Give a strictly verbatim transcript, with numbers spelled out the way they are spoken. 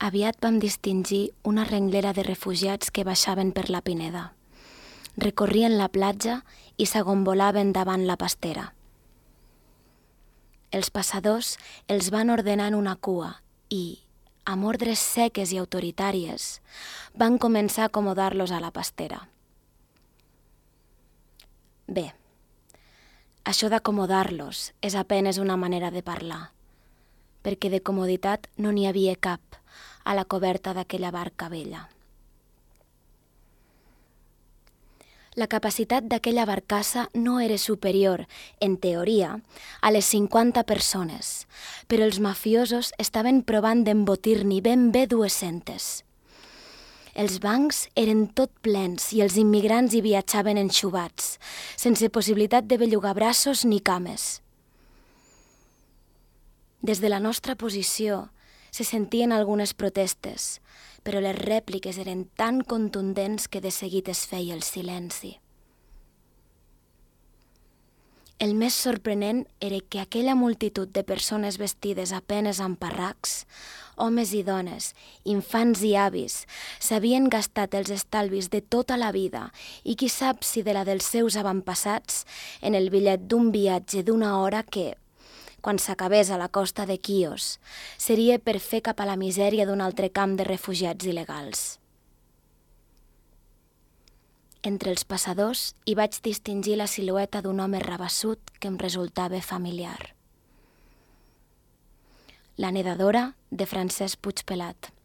Aviat vam distingir una renglera de refugiats que baixaven per la Pineda. Recorrien la platja i s'agombolaven davant la pastera. Els passadors els van ordenar en una cua i, amb ordres seques i autoritàries, van començar a acomodar-los a la pastera. Bé, això d'acomodar-los és apenes una manera de parlar, perquè de comoditat no n'hi havia cap a la coberta d'aquella barca vella. La capacitat d'aquella barcassa no era superior, en teoria, a les cinquanta persones, però els mafiosos estaven provant d'embotir-n'hi ben bé dues-centes. Els bancs eren tot plens i els immigrants hi viatjaven enxubats, sense possibilitat de bellugar braços ni cames. Des de la nostra posició se sentien algunes protestes, però les rèpliques eren tan contundents que de seguit es feia el silenci. El més sorprenent era que aquella multitud de persones vestides a penes amb parracs, homes i dones, infants i avis, s'havien gastat els estalvis de tota la vida i qui sap si de la dels seus avantpassats en el bitllet d'un viatge d'una hora que, quan s'acabés a la costa de Quios, seria per fer cap a la misèria d'un altre camp de refugiats il·legals. Entre els passadors hi vaig distingir la silueta d'un home rabassut que em resultava familiar. La nedadora de Francesc Puigpelat.